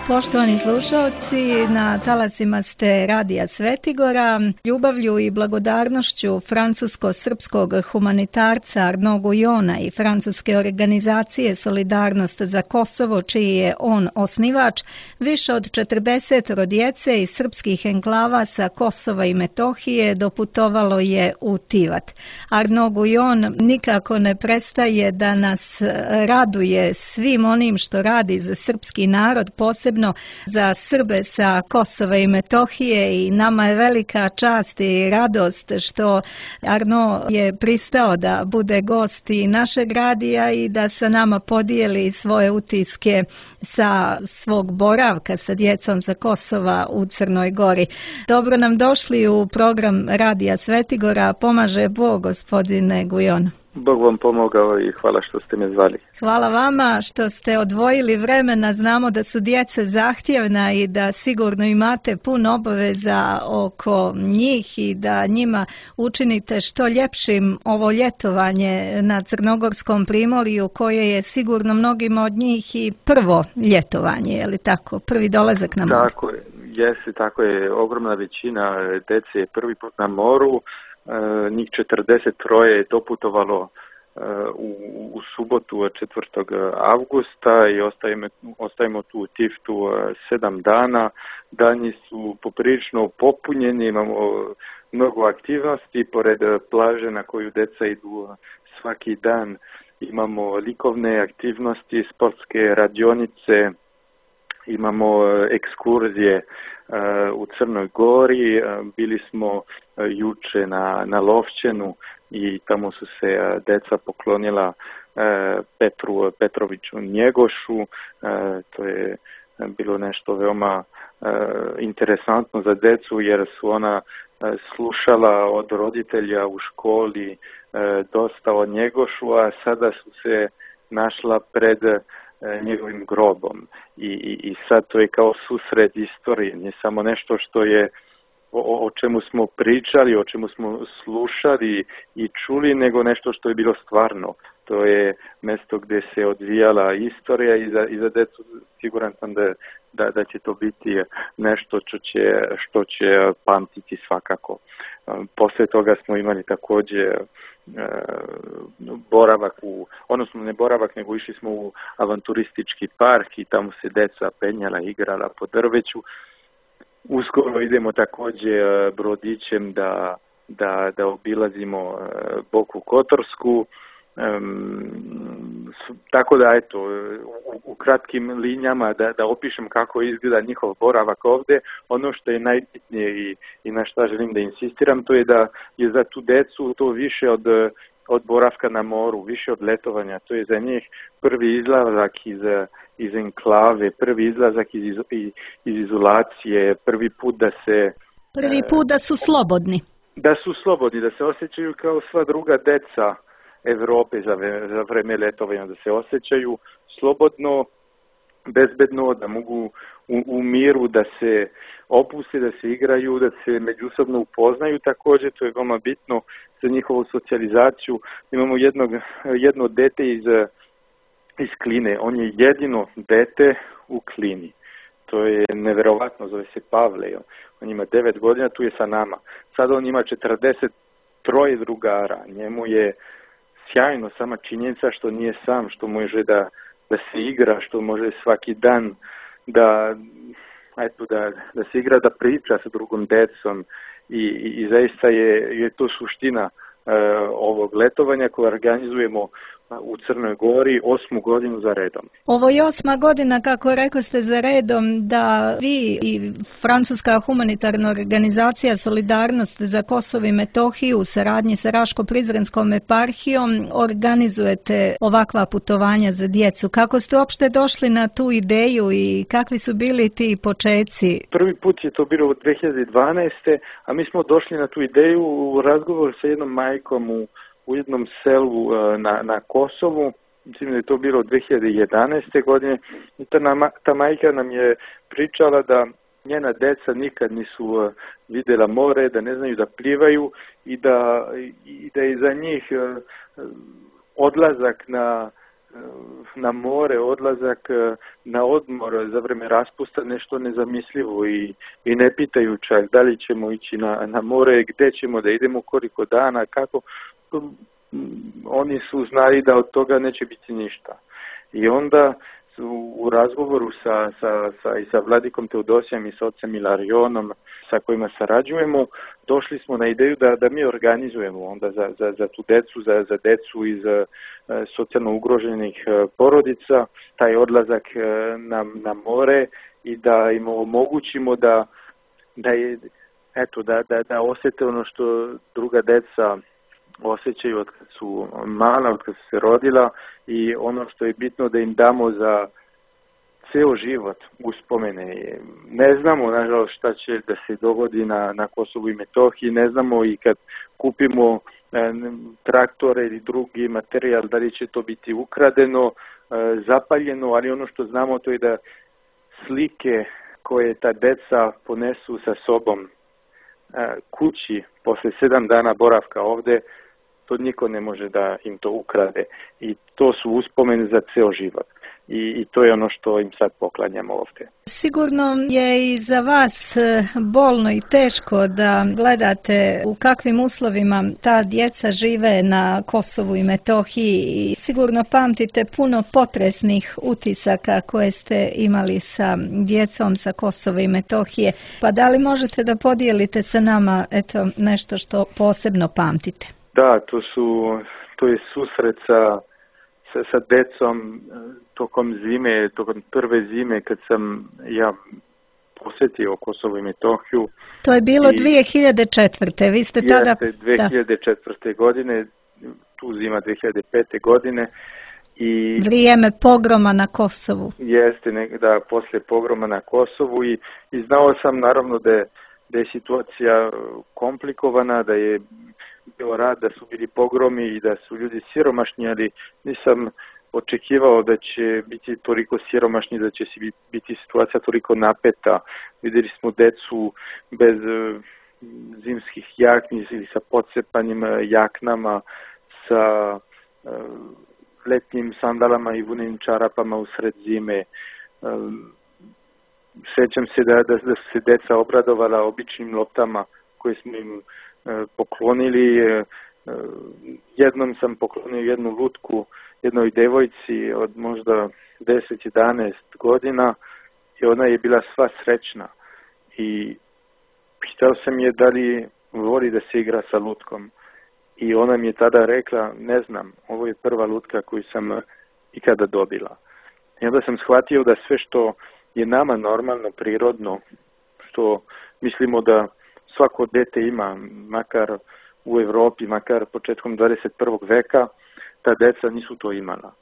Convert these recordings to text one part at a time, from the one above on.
Poštovani slušalci, na talasima ste Radija Svetigora. Ljubavlju i blagodarnošću francusko-srpskog humanitarca Arnaud Guyona i francuske organizacije Solidarnost za Kosovo, čiji je on osnivač, više od 40 djece iz srpskih enklava sa Kosova i Metohije doputovalo je u Tivat. Arnaud Guyon nikako ne prestaje da nas raduje svim onim što radi za srpski narod, posebno za Srbe sa Kosova i Metohije, i nama je velika čast i radost što Arnaud je pristao da bude gost i našeg radija i da sa nama podijeli svoje utiske sa svog boravka sa djecom sa Kosova u Crnoj Gori. Dobro nam došli u program Radija Svetigora. Pomaže Bog, gospodine Guyon. Bog vam pomogao i hvala što ste me zvali. Hvala vama što ste odvojili vremena. Znamo da su djeca zahtjevna i da sigurno imate puno obaveza oko njih i da njima učinite što ljepšim ovo ljetovanje na Crnogorskom primorju, koje je sigurno mnogima od njih i prvo ljetovanje, je li tako? Prvi dolazak na moru. Tako je, tako je. Ogromna većina djece je prvi put na moru. Njih 43 je doputovalo u subotu 4. avgusta i ostajemo tu u Tiftu 7 dana. Dani su poprilično popunjeni, imamo mnogo aktivnosti pored plaže na koju djeca idu svaki dan. Imamo likovne aktivnosti, sportske radionice, imamo ekskurzije u Crnoj Gori. Bili smo juče na Lovćenu i tamo su se deca poklonila Petru Petroviću Njegošu. To je bilo nešto veoma interesantno za decu, jer su ona slušala od roditelja u školi dosta o Njegošu, a sada su se našla pred njegovim grobom i sad to je kao susret istorije, nije samo nešto što je o čemu smo pričali, o čemu smo slušali i čuli, nego nešto što je bilo stvarno. To je mjesto gdje se odvijala istorija i za djecu siguran sam da će to biti nešto što će pamtiti svakako. Poslije toga smo imali također boravak odnosno ne boravak, nego išli smo u avanturistički park i tamo se djeca penjala, igrala po drveću. Uskoro idemo također brodićem da obilazimo Boku Kotorsku. Tako da eto, u kratkim linijama da opišem kako izgleda njihov boravak ovdje. Ono što je najbitnije i na šta želim da insistiram, to je da je za tu decu to više od boravka na moru, više od letovanja. To je za njih prvi izlazak iz enklave, prvi izlazak iz izolacije, prvi put da su slobodni. Da su slobodni, da se osjećaju kao sva druga deca Europe za vreme letovanja, da se osjećaju slobodno, bezbedno, da mogu u miru da se opuste, da se igraju, da se međusobno upoznaju. Također to je veoma bitno za njihovu socijalizaciju. Imamo jedno dete iz Kline, on je jedino dete u Klini. To je neverovatno, zove se Pavle. On ima 9 godina, tu je sa nama. Sada on ima 43 drugara. Njemu je sjajno sama činjenica što nije sam, što može da se igra, što može svaki dan da se igra, da priča sa drugom decom i zaista je to suština ovog letovanja koje organizujemo u Crnoj Gori 8. godinu za redom. Ovo je 8. godina, kako rekao ste, za redom da vi i francuska humanitarna organizacija Solidarnost za Kosovo i Metohiju u saradnji sa Raško-Prizrenskom eparhijom organizujete ovakva putovanja za djecu. Kako ste uopšte došli na tu ideju i kakvi su bili ti počeci? Prvi put je to bilo u 2012. a mi smo došli na tu ideju u razgovoru sa jednom majkom u jednom selu na Kosovu. Mislim da je to bilo 2011. godine i ta majka nam je pričala da njena deca nikad nisu vidjela more, da ne znaju da plivaju i da je za njih odlazak na more, odlazak na odmor za vreme raspusta nešto nezamislivo i ne pitaju čak da li ćemo ići na more, gde ćemo da idemo, koliko dana, kako. Oni su znali da od toga neće biti ništa. I onda u razgovoru sa Vladikom Teodosijem i sa ocem Ilarionom sa kojima sarađujemo, došli smo na ideju da mi organizujemo onda za tu decu, za decu iz socijalno ugroženih porodica, taj odlazak na more i da im omogućimo da osjete ono što druga deca osjećaju od kad su mala, od kad su se rodila i ono što je bitno da im damo za ceo život uspomene. Ne znamo, nažalost, šta će da se dogodi na Kosovu i Metohiji, ne znamo i kad kupimo traktore ili drugi materijal, da li će to biti ukradeno, zapaljeno, ali ono što znamo to je da slike koje ta deca ponesu sa sobom kući posle 7 dana boravka ovde, to niko ne može da im to ukrade. I to su uspomene za ceo život. I to je ono što im sad poklanjamo ovde. Sigurno je i za vas bolno i teško da gledate u kakvim uslovima ta djeca žive na Kosovu i Metohiji i sigurno pamtite puno potresnih utisaka koje ste imali sa djecom sa Kosova i Metohije. Pa da li možete da podijelite sa nama nešto što posebno pamtite? Da, to je susret sa decom tokom zime, tokom prve zime kad sam ja posjetio Kosovo i Metohiju. To je bilo 2004. Vi ste tada... Jeste, 2004. godine, tu zima 2005. godine. I vrijeme pogroma na Kosovu. Jeste, poslije pogroma na Kosovu i znao sam naravno da je situacija komplikovana, da je bio rad, da su bili pogromi i da su ljudi siromašni, ali nisam očekivao da će biti toliko siromašni, da će biti situacija toliko napeta. Vidjeli smo decu bez zimskih jakni ili sa podcepanim jaknama, sa letnjim sandalama i vunenim čarapama usred zime. Sjećam se da su se deca obradovala običnim loptama koje smo im poklonili. Jednom sam poklonio jednu lutku jednoj devojci od možda 10-11 godina i ona je bila sva srećna i pitao sam je da li voli da se igra sa lutkom i ona mi je tada rekla, ne znam, ovo je prva lutka koju sam ikada dobila. I onda sam shvatio da sve što je nama normalno, prirodno, što mislimo da svako dete ima, makar u Evropi, makar početkom 21. veka, ta deca nisu to imala.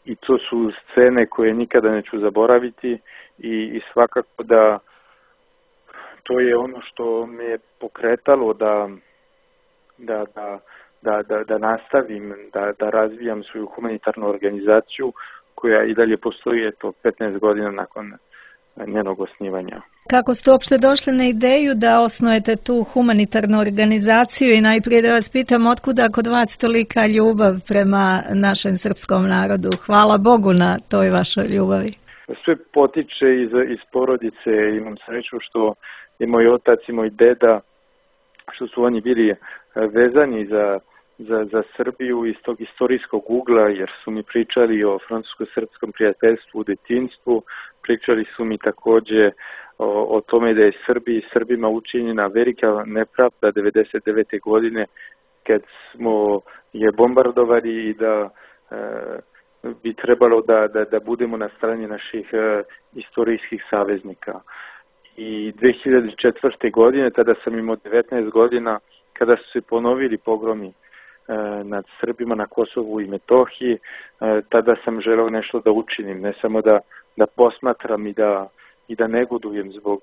I to su scene koje nikada neću zaboraviti i svakako da to je ono što me je pokretalo da nastavim, da razvijam svoju humanitarnu organizaciju koja i dalje postoji 15 godina nakon njenog osnivanja. Kako ste uopšte došli na ideju da osnujete tu humanitarnu organizaciju i najprije da vas pitam otkuda kod vas tolika ljubav prema našem srpskom narodu? Hvala Bogu na toj vašoj ljubavi. Sve potiče iz porodice. Imam sreću što je moj otac i moj deda, što su oni bili vezani za Srbiju iz tog istorijskog ugla, jer su mi pričali o francusko-srpskom prijateljstvu u detinjstvu, pričali su mi takođe o tome da je Srbima učinjena velika nepravda 99. godine kad smo je bombardovali i da bi trebalo da budemo na strani naših istorijskih saveznika. I 2004. godine, tada sam imao 19 godina, kada su se ponovili pogromi nad Srbima na Kosovu i Metohiji, tada sam želeo nešto da učinim, ne samo da posmatram i da negodujem zbog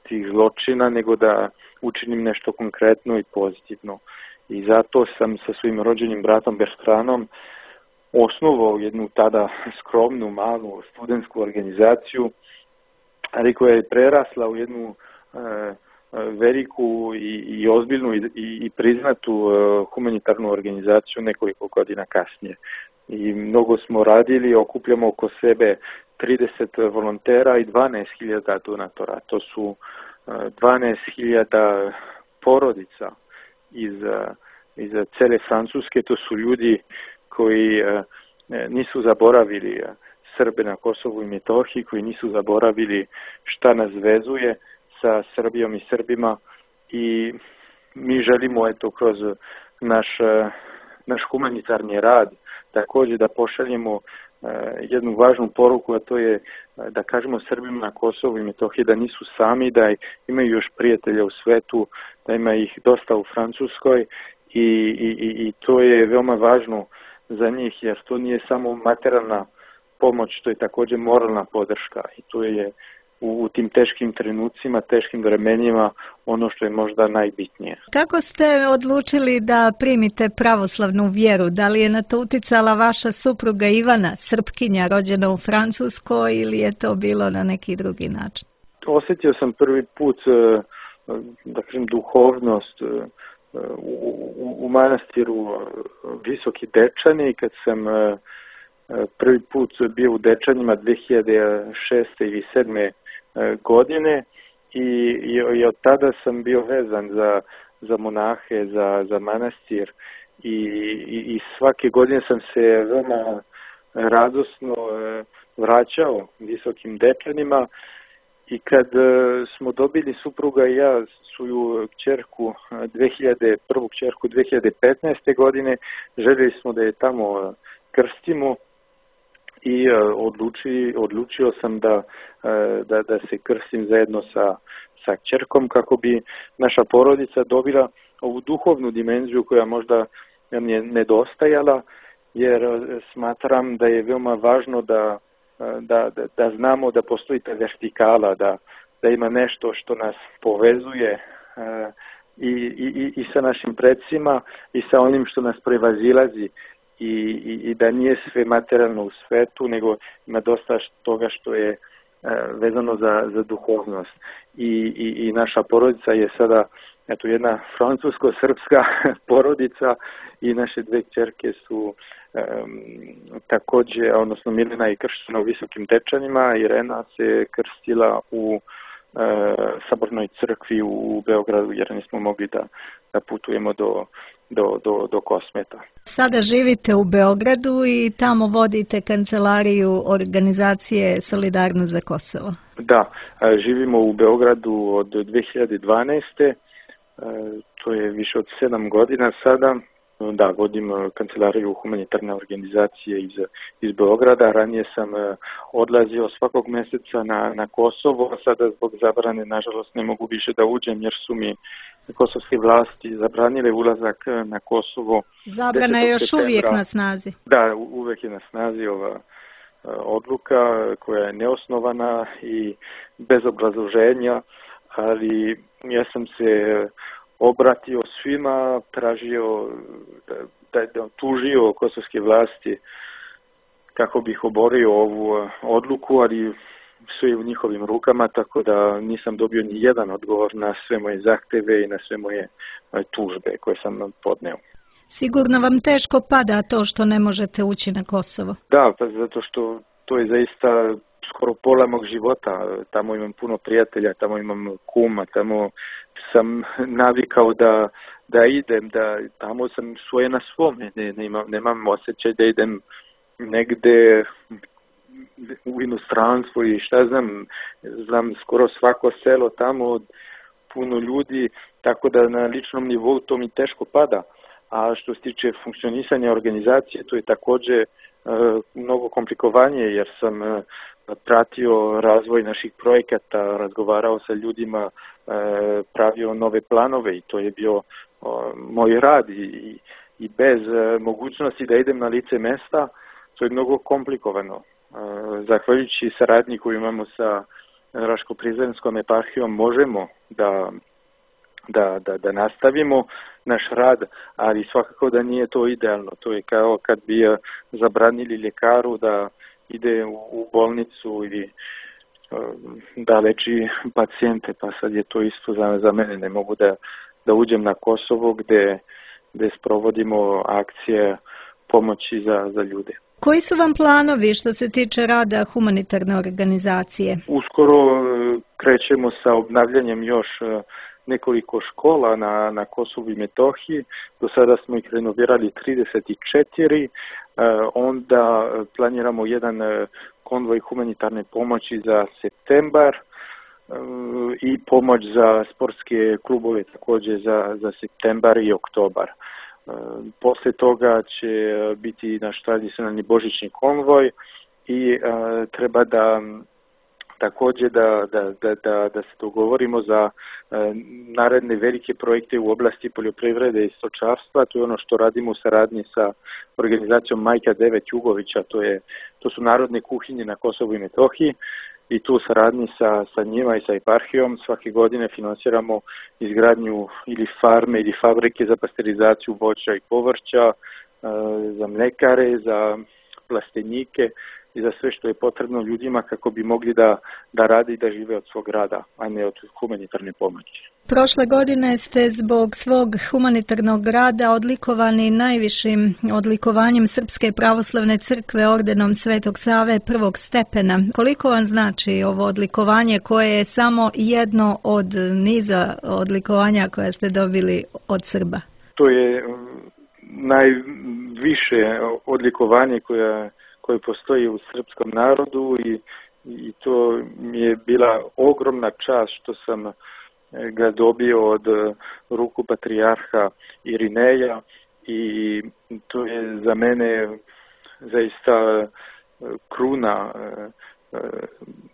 tih zločina, nego da učinim nešto konkretno i pozitivno. I zato sam sa svojim rođenim bratom Bertranom osnovao jednu tada skromnu, malu studentsku organizaciju, ali koja je prerasla u jednu veliku i ozbiljnu i priznatu humanitarnu organizaciju nekoliko godina kasnije. i mnogo smo radili, okupljamo oko sebe 30 volontera i 12.000 donatora. To su 12.000 porodica iz cele Francuske. To su ljudi koji nisu zaboravili Srbe na Kosovu i Metohiji, koji nisu zaboravili šta nas vezuje sa Srbijom i Srbima, i mi želimo kroz naš humanitarni rad također da pošaljemo jednu važnu poruku, a to je da kažemo Srbima na Kosovu i Metohiji da nisu sami, da imaju još prijatelja u svetu, da ima ih dosta u Francuskoj, i to je veoma važno za njih, jer to nije samo materijalna pomoć, to je također moralna podrška, i to je u tim teškim trenucima, teškim vremenima ono što je možda najbitnije. Kako ste odlučili da primite pravoslavnu vjeru? Da li je na to uticala vaša supruga Ivana, Srpkinja, rođena u Francuskoj, ili je to bilo na neki drugi način? Osjetio sam prvi put, da kažem, duhovnost u manastiru Visoki Dečani, kad sam prvi put bio u Dečanima 2006. ili 2007. godine, i od tada sam bio vezan za monahe, za manastir, i svake godine sam se veoma radosno vraćao Visokim Dečanima, i kad smo dobili, supruga i ja, svoju kćerku, prvu kćerku 2015. godine, željeli smo da je tamo krstimo, i odlučio sam da se krstim zajedno sa kćerkom, kako bi naša porodica dobila ovu duhovnu dimenziju koja možda nam je nedostajala, jer smatram da je veoma važno da znamo da postoji ta vertikala, da ima nešto što nas povezuje i sa našim predsima i sa onim što nas prevazilazi, i da nije sve materijalno u svetu, nego ima dosta toga što je vezano za duhovnost. I naša porodica je sada jedna francusko-srpska porodica, i naše dve kćerke su također, odnosno Milena je krštena u Visokim Dečanima, Irena se krstila u Sabornoj crkvi u Beogradu, jer nismo mogli da putujemo do Kosmeta. Sada živite u Beogradu i tamo vodite kancelariju organizacije Solidarnost za Kosovo. Da, živimo u Beogradu od 2012. To je više od 7 godina sada. Da, vodim kancelariju humanitarne organizacije iz Beograda. Ranije sam odlazio svakog mjeseca na Kosovo, a sada zbog zabrane, nažalost, ne mogu više da uđem, jer su mi kosovske vlasti zabranile ulazak na Kosovo. Zabrana je još uvijek na snazi. Da, uvijek je na snazi ova odluka, koja je neosnovana i bez obrazloženja, ali ja sam se obratio svima, tražio da tužio kosovske vlasti kako bih oborio ovu odluku, ali sve je u njihovim rukama, tako da nisam dobio ni jedan odgovor na sve moje zahteve i na sve moje tužbe koje sam podneo. Sigurno vam teško pada to što ne možete ući na Kosovo. Da, pa zato što to je zaista skoro pola mog života. Tamo imam puno prijatelja, tamo imam kuma, tamo sam navikao da idem, da tamo sam svoje na svome. Nemam osjećaj da idem negde u inostranstvo i šta znam skoro svako selo tamo, puno ljudi, tako da na ličnom nivou to mi teško pada. A što se tiče funkcionisanja organizacije, to je također mnogo komplikovanije, jer sam pratio razvoj naših projekata, razgovarao sa ljudima, pravio nove planove, i to je bio moj rad, i bez mogućnosti da idem na lice mesta, to je mnogo komplikovano. Zahvaljujući saradnji koju imamo sa Raško-Prizrenskom eparhijom, možemo da nastavimo naš rad, ali svakako da nije to idealno. To je kao kad bi zabranili ljekaru da ide u bolnicu ili da leči pacijente, pa sad je to isto za mene. Ne mogu da uđem na Kosovo gde sprovodimo akcije pomoći za ljude. Koji su vam planovi što se tiče rada humanitarne organizacije? Uskoro krećemo sa obnavljanjem još nekoliko škola na Kosovu i Metohiji. Do sada smo ih renovirali 34. Onda planiramo jedan konvoj humanitarne pomoći za septembar i pomoć za sportske klubove također za septembar i oktobar. Posle toga će biti naš tradicionalni božićni konvoj i treba da također da se dogovorimo za naredne velike projekte u oblasti poljoprivrede i stočarstva. To je ono što radimo u saradnji sa organizacijom Majka 9 Jugovića, to su narodne kuhinje na Kosovu i Metohiji. I tu u saradnji sa njima i sa eparhijom svake godine finansiramo izgradnju ili farme ili fabrike za pasterizaciju voća i povrća, za mlekare, za plastenike i za sve što je potrebno ljudima kako bi mogli da rade i da žive od svog rada, a ne od humanitarne pomoći. Prošle godine ste zbog svog humanitarnog rada odlikovani najvišim odlikovanjem Srpske pravoslavne crkve ordenom Svetog Save prvog stepena. Koliko vam znači ovo odlikovanje koje je samo jedno od niza odlikovanja koja ste dobili od Srba? To je najviše odlikovanje koje postoji u srpskom narodu i to mi je bila ogromna čast što sam ga dobio od ruku patrijarha Irineja i to je za mene zaista kruna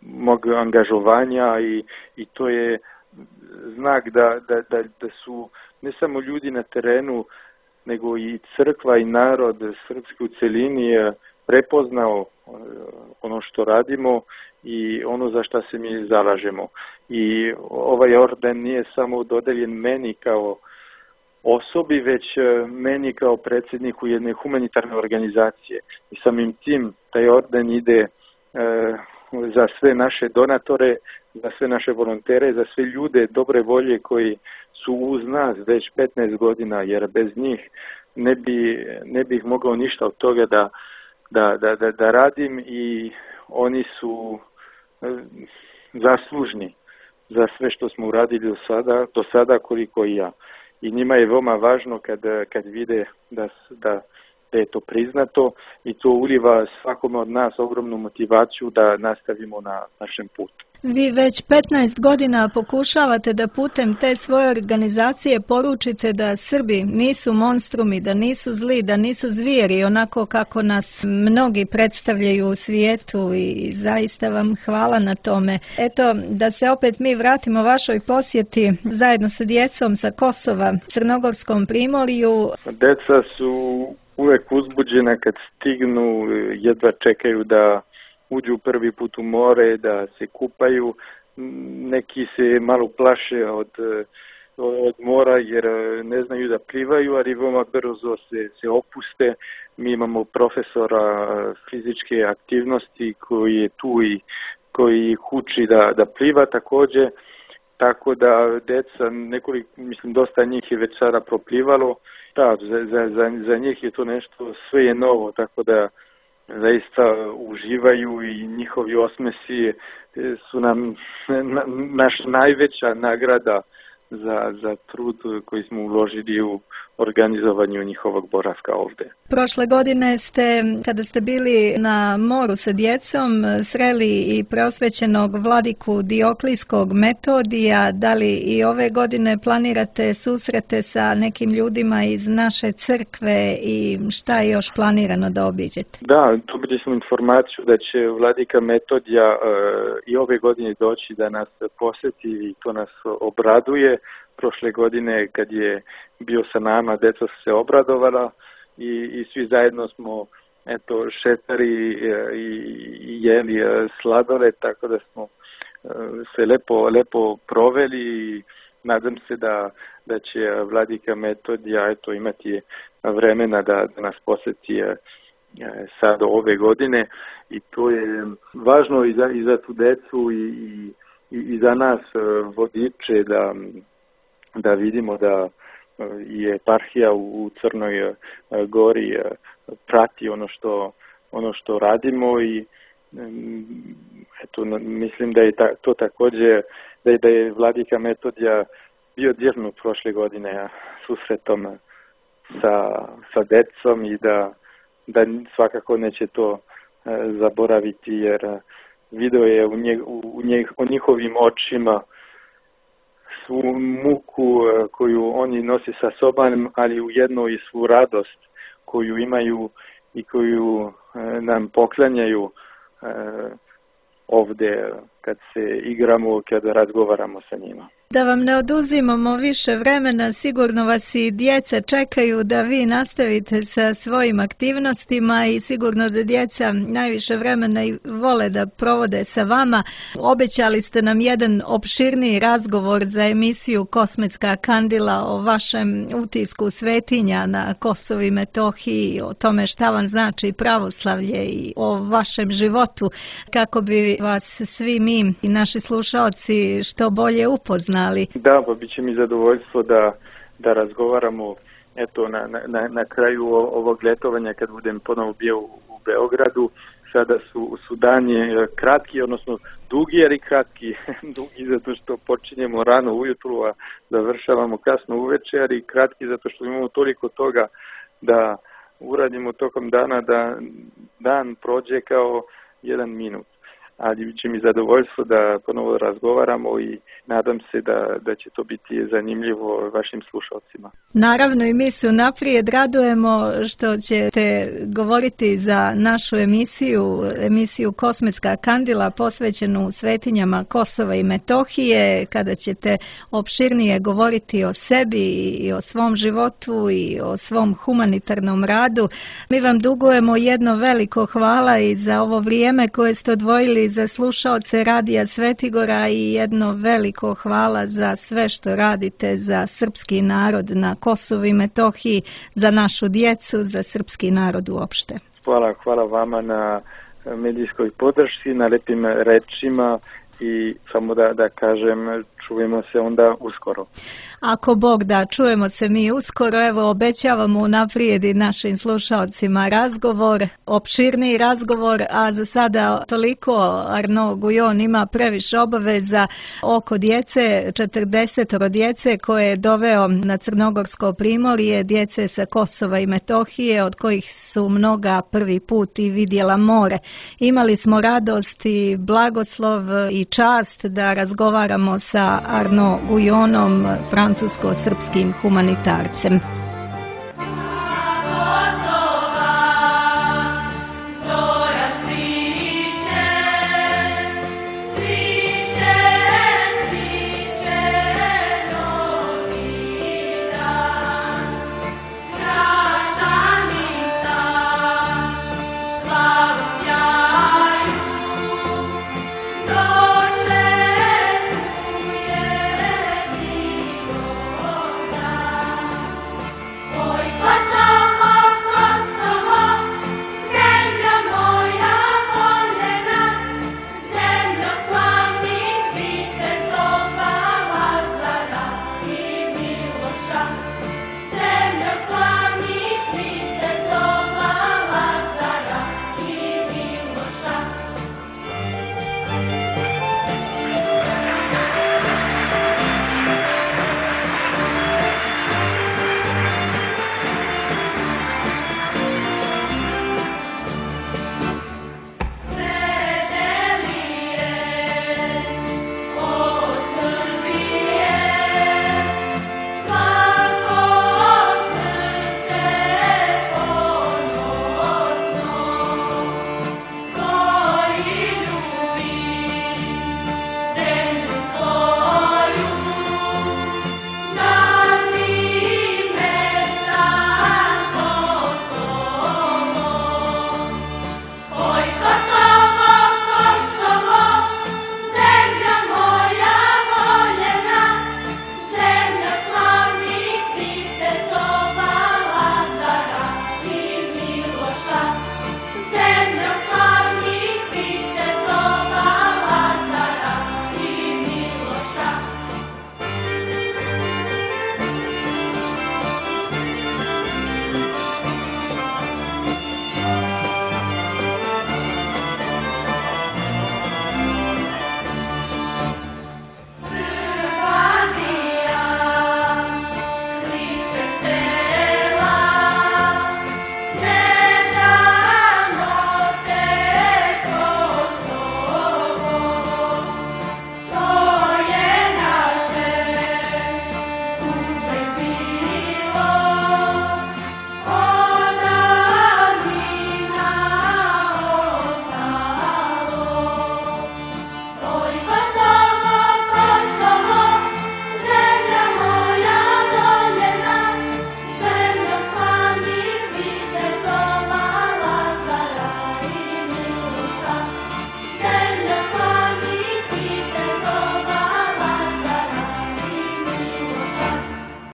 mog angažovanja i to je znak da su ne samo ljudi na terenu nego i crkva i narod srpski u celini prepoznao ono što radimo i ono za što se mi zalažemo. I ovaj orden nije samo dodeljen meni kao osobi, već meni kao predsjedniku jedne humanitarne organizacije. I samim tim taj orden ide za sve naše donatore, za sve naše volontere, za sve ljude dobre volje koji su uz nas već 15 godina, jer bez njih ne bih mogao ništa od toga da radim i oni su zaslužni za sve što smo uradili do sada koliko i ja. I njima je veoma važno kad vide da je to priznato i to uliva svakome od nas ogromnu motivaciju da nastavimo na našem putu. Vi već 15 godina pokušavate da putem te svoje organizacije poručite da Srbi nisu monstrumi, da nisu zli, da nisu zvijeri, onako kako nas mnogi predstavljaju u svijetu i zaista vam hvala na tome. Eto, da se opet mi vratimo vašoj posjeti zajedno sa djecom sa Kosova, Crnogorskom primorju. Deca su uvek uzbuđena kad stignu, jedva čekaju da uđu prvi put u more, da se kupaju. Neki se malo plaše od mora jer ne znaju da plivaju, ali veoma brzo se opuste. Mi imamo profesora fizičke aktivnosti koji je tu i koji ih uči da pliva također. Tako da deca, dosta njih je već sada proplivalo. Da, za njih je to nešto, sve je novo, tako da zaista uživaju i njihovi osmesi su nam naša najveća nagrada za trud koji smo uložili u organizovanju njihovog boravka ovdje. Prošle godine ste, kada ste bili na moru sa djecom, sreli i preosvećenog vladiku Dioklijskog Metodija. Da li i ove godine planirate susrete sa nekim ljudima iz naše crkve i šta je još planirano da obiđete? Da, dobili smo informaciju da će vladika Metodija i ove godine doći da nas posjeti i to nas obraduje. Prošle godine kad je bio sa nama, deca su se obradovala i svi zajedno smo šetali i jeli sladole, tako da smo se lepo proveli i nadam se da će vladika Metodija imati vremena da nas posjeti sad ove godine i to je važno i za tu decu i za nas vodiče da vidimo da i eparhija u Crnoj Gori prati ono što radimo i eto, mislim da je to također da je vladika Metodija bio dirnut prošle godine susretom sa decom i da svakako neće to zaboraviti, jer video je u njihovim očima svu muku koju oni nose sa sobom, ali ujedno i svu radost koju imaju i koju nam poklanjaju ovdje kad se igramo, kad razgovaramo sa njima. Da vam ne oduzimamo više vremena, sigurno vas i djeca čekaju da vi nastavite sa svojim aktivnostima i sigurno da djeca najviše vremena i vole da provode sa vama. Obećali ste nam jedan opširniji razgovor za emisiju Kosmetska kandila o vašem utisku svetinja na Kosovu i Metohiji, o tome šta vam znači pravoslavlje i o vašem životu, kako bi vas svi mi i naši slušaoci što bolje upoznali. Da, pa bit će mi zadovoljstvo da razgovaramo eto na kraju ovog ljetovanja kad budem ponovo bio u Beogradu. Sada su dani kratki, odnosno dugi, jer i kratki. Dugi zato što počinjemo rano ujutru, a završavamo kasno uvečer, i kratki zato što imamo toliko toga da uradimo tokom dana da dan prođe kao jedan minut. Ali će mi zadovoljstvo da ponovo razgovaramo i nadam se da će to biti zanimljivo vašim slušalcima. Naravno, i mi se unaprijed radujemo što ćete govoriti za našu emisiju Kosmetska kandila posvećenu svetinjama Kosova i Metohije, kada ćete opširnije govoriti o sebi i o svom životu i o svom humanitarnom radu. Mi vam dugujemo jedno veliko hvala i za ovo vrijeme koje ste odvojili za slušaoce Radija Svetigora i jedno veliko hvala za sve što radite za srpski narod na Kosovu i Metohiji, za našu djecu, za srpski narod uopšte. Hvala vama na medijskoj podršci, na lepim rečima i samo da kažem, čujemo se onda uskoro. Ako Bog da, čujemo se mi uskoro. Evo, obećavamo unaprijed i našim slušalcima razgovor, opširniji razgovor, a za sada toliko. Arnaud Guyon ima previše obaveza oko djece, 40 djece koje je doveo na Crnogorsko primorje, djece sa Kosova i Metohije, od kojih su mnoga prvi put i vidjela more. Imali smo radost i blagoslov i čast da razgovaramo sa Arnaud Guyonom, francusko-srpskim humanitarcem.